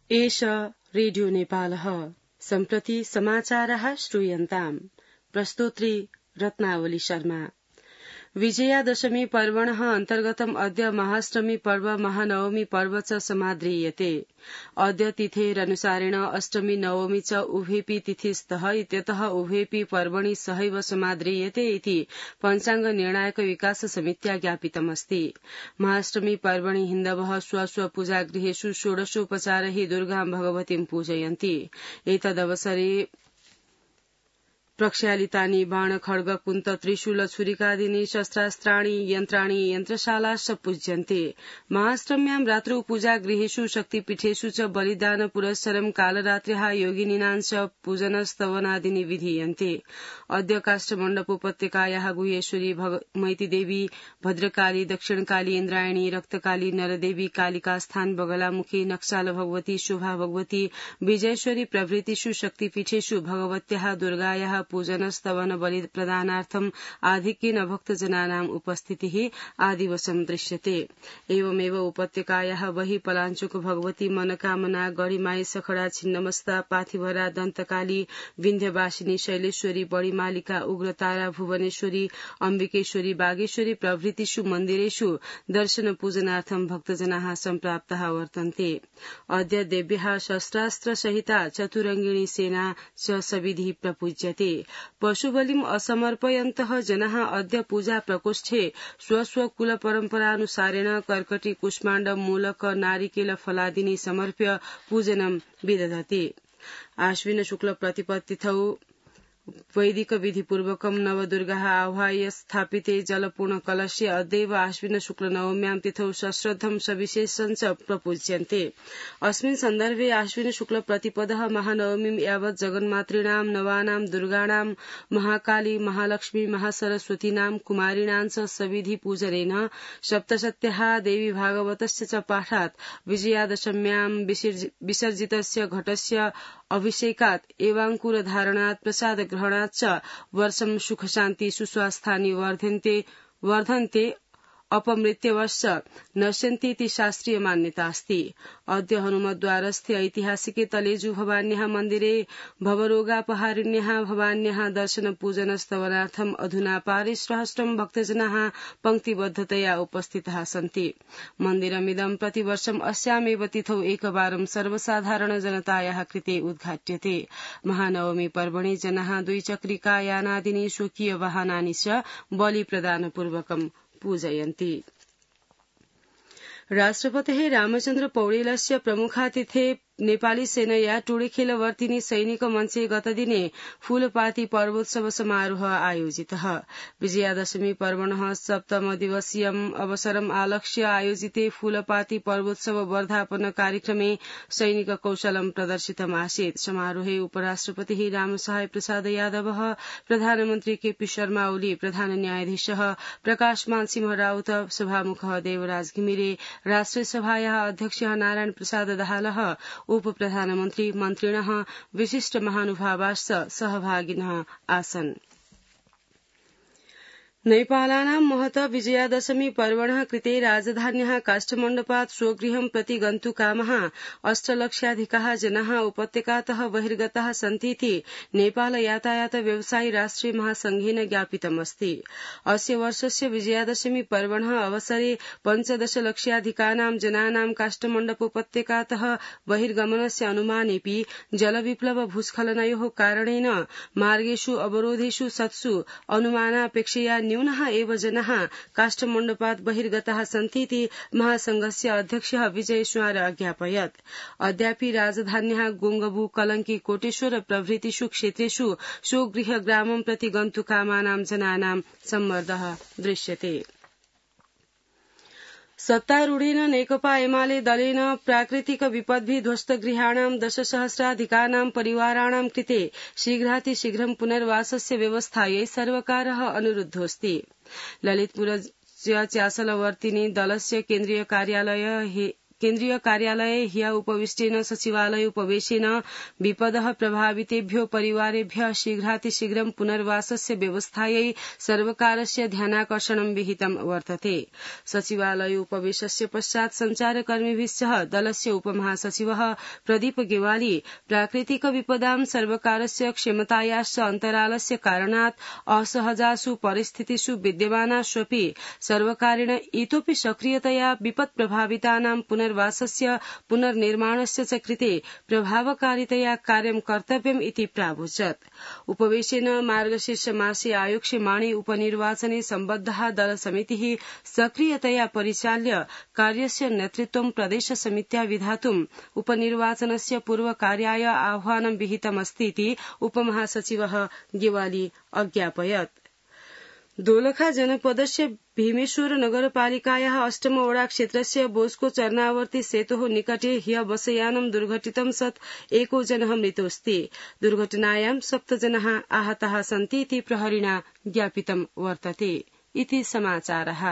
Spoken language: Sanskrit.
एष रेडियो नेपालः सम्प्रति समाचारः श्रूयन्ताम् प्रस्तोत्री रत्नावली शर्मा। विजयादशमी पर्वणः अन्तर्गतम् अद्य महाष्टमी पर्व महानवमी पर्व च समाद्रियते। अद्य तिथेरनुसारेण अष्टमी नवमी च उभेपि तिथिस्तः इत्यतः उभेपि पर्वणि सहैव समाद्रियते इति पञ्चाङ्ग निर्णायक विकास समित्या ज्ञापितमस्ति। महाष्टमी पर्वणि हिन्दवः स्व पूजागृहेषु षोडशोपचारैः दुर्गां भगवतीं पूजयन्ति। एतदवसरे प्रक्षालितानि बाण खड्ग कुन्त त्रिशूल छुरिकादीनि शस्त्रास्त्राणि यन्त्राणि यन्त्रशालाश्च पूज्यन्ते। महाष्टम्यां रात्रौ पूजागृहेषु शक्तिपीठेषु च बलिदान पुरस्सरं कालरात्र्याः योगिनीनाञ्च पूजनस्तवनादीनि विधीयन्ते। अद्य काष्ठमण्डपोपत्यकायाः गुह्येश्वरी मैतीदेवी भद्रकाली दक्षिणकाली इन्द्रायणी रक्तकाली नरदेवी कालिकास्थान बगलामुखी नक्साल भगवती शोभा भगवती विजयेश्वरी प्रभृतिषु शक्तिपीठेषु भगवत्याः दुर्गायाः पूजनस्तवन बलि प्रदानार्थम् आधिक्येन भक्तजनानाम् उपस्थितिः आदिवसं दृश्यते। एवमेव उपत्यकायाः बहिः पलाञ्चोक भगवती मनकामना गढीमाई सखडा छिन्नमस्ता पाथिभरा दन्तकाली विन्ध्यवासिनी शैलेश्वरी बडीमालिका उग्रतारा भुवनेश्वरी अम्बिकेश्वरी बागेश्वरी प्रभृतिषु मन्दिरेषु दर्शन पूजनार्थं भक्तजनाः सम्प्राप्ताः वर्तन्ते। अद्य देव्याः शस्त्रास्त्रसहिता चतुरङ्गिणी सेना च सविधिः प्रपूज्यते। पशुबलिम् असमर्पयन्तः जनाः अद्य पूजा प्रकोष्ठे स्वस्व कुल परम्परानुसारेण कर्कटी कुष्माण्ड मूलक नारिकेल फलादीनि समर्प्य पूजनं विदधति। आश्विन शुक्ल प्रतिपत्तिथौ वैदिक विधिपूर्वकं नवदुर्गाः आह्वाय स्थापिते जलपूर्ण कलशे अद्यैव आश्विन शुक्ल नवम्यां तिथौ सश्रद्धं सविशेषं च प्रपूज्यन्ते। अस्मिन् सन्दर्भे आश्विन शुक्ल प्रतिपदः महानवमीं यावत् जगन्मातॄणां नवानां दुर्गाणां महाकाली महालक्ष्मी महासरस्वतीनां कुमारीणां च सविधि पूजनेन सप्तशत्याः देवी भागवतस्य च पाठात् विजयादशम्यां विसर्जितस्य घटस्य अभिषेकात् एवाङ्कुर धारणात् प्रसाद ग्रहणात् च वर्षं सुखशान्ति सुस्वास्थानि वर्धन्ते अपमृत्यवश्च नश्यन्ति इति शास्त्रीय मान्यता अस्ति। अद्य हनुमद्वारस्थे ऐतिहासिके तलेजु भवान्याः मन्दिरे भवरोगापहारिण्यः भवान्याः दर्शन पूजन स्तवनार्थम् अधुना पारिसहस्रं भक्तजनाः पंक्तिबद्धतया उपस्थिताः सन्ति। मन्दिरमिदं प्रतिवर्षम् अस्यामेव तिथौ एकवारं सर्वसाधारण जनतायाः कृते उद्घाट्यते। महानवमी पर्वणि जनाः द्विचक्रिकायानादीनि स्वकीय वाहनानि च बलि प्रदानपूर्वकं पूजयन्ति। राष्ट्रपतेः रामचन्द्र पौडेलस्य प्रमुखातिथे नेपाली सेनया टोडीखेलवर्तिनी सैनिक मञ्चे गतदिने फूलपाती पर्वोत्सव समारोह आयोजितः। विजयादशमी पर्वणः सप्तम दिवसीयम् अवसरम् आलक्ष्य आयोजिते फूलपाती पर्वोत्सव वर्धापन कार्यक्रमे सैनिक कौशलं प्रदर्शितमासीत्। समारोहे उपराष्ट्रपतिः रामसहाय प्रसाद यादवः प्रधानमन्त्री केपी शर्मा ओली प्रधान न्यायाधीशः प्रकाशमान सिंह राउत सभामुखः देवराज घिमिरे राष्ट्रियसभायाः अध्यक्षः नारायण प्रसाद दाहालः उप प्रधानमन्त्री मन्त्रिणः विशिष्ट महानुभावाश्च सहभागिनः आसन्। नेपालानां महत विजयादशमी पर्वणः कृते राजधान्याः काष्ठमण्डपात् स्वगृहं प्रति गन्तुकामाः 8 लक्षाधिकाः जनाः उपत्यकातः बहिर्गताः सन्तीति नेपाल यातायात व्यवसायी राष्ट्रिय महासंघेन ज्ञापितमस्ति। अस्य वर्षस्य विजयादशमी पर्वणः अवसरे 15 लक्षाधिकानां जनानां काष्ठमण्डपोपत्यकातः बहिर्गमनस्य अनुमानेऽपि जलविप्लव भूस्खलनयोः कारणेन मार्गेषु अवरोधेषु सत्सु अनुमानापेक्षया न्यूनः एव जनाः काष्ठमण्डपात् बहिर्गताः सन्तीति महासंघस्य अध्यक्षः विजय सुवार अज्ञापयत्। अद्यापि राजधान्याः गोङ्गबु कलंकी कोटेश्वर प्रभृतिषु क्षेत्रेषु स्वगृह ग्रामं प्रति गन्तुकामानां जनानां सम्मर्दः दृश्यते। सत्तारूढेन नेकपा एमाले दलेन प्राकृतिक विपद्भिः ध्वस्तगृहाणां 10,000-अधिकानां परिवाराणां कृते शीघ्रातिशीघ्रं पुनर्वासस्य व्यवस्थायै सर्वकारः अनुरुद्धोऽस्ति। ललितपुरस्य चासलवर्तिनि दलस्य केन्द्रीय कार्यालये ह्य उपविष्टेन सचिवालय उपवेशेन विपदः प्रभावितेभ्यो परिवारेभ्यः शीघ्रातिशीघ्रं पुनर्वासस्य व्यवस्थायै सर्वकारस्य ध्यानाकर्षणं विहितं वर्तते। सचिवालय उपवेशस्य पश्चात् सञ्चारकर्मिभिः सह दलस्य उपमहासचिवः प्रदीप गेवाली प्राकृतिक विपदां सर्वकारस्य क्षमतायाश्च अन्तरालस्य कारणात् असहजासु परिस्थितिषु विद्यमानाष्वपि सर्वकारेण इतोपि सक्रियतया विपत्प्रभावितानां पुनर्वासस्य पुनर्निर्माणस्य च कृते प्रभावकारितया कार्यं कर्तव्यम् इति प्रावोचत्। उपवेशेन मार्गशीर्षमासे आयोक्ष्यमाणे उपनिर्वाचने सम्बद्धः दलसमितिः सक्रियतया परिचाल्य कार्यस्य नेतृत्वं प्रदेशसमित्या विधातुम् उपनिर्वाचनस्य पूर्वकार्याय आह्वानं विहितमस्तीति उपमहासचिवः गेवाली अज्ञापयत्। दोलखा जनपदस्य भीमेश्वर नगरपालिकायाः अष्टमवडा क्षेत्रस्य बोस्को चरणावर्ती सेतोः निकटे ह्य बसयानं दुर्घटितं सत् एको जनः मृतोऽस्ति। दुर्घटनायां 7 जनाः आहताः सन्ति इति प्रहरिणा ज्ञापितं वर्तते। इति समाचारः।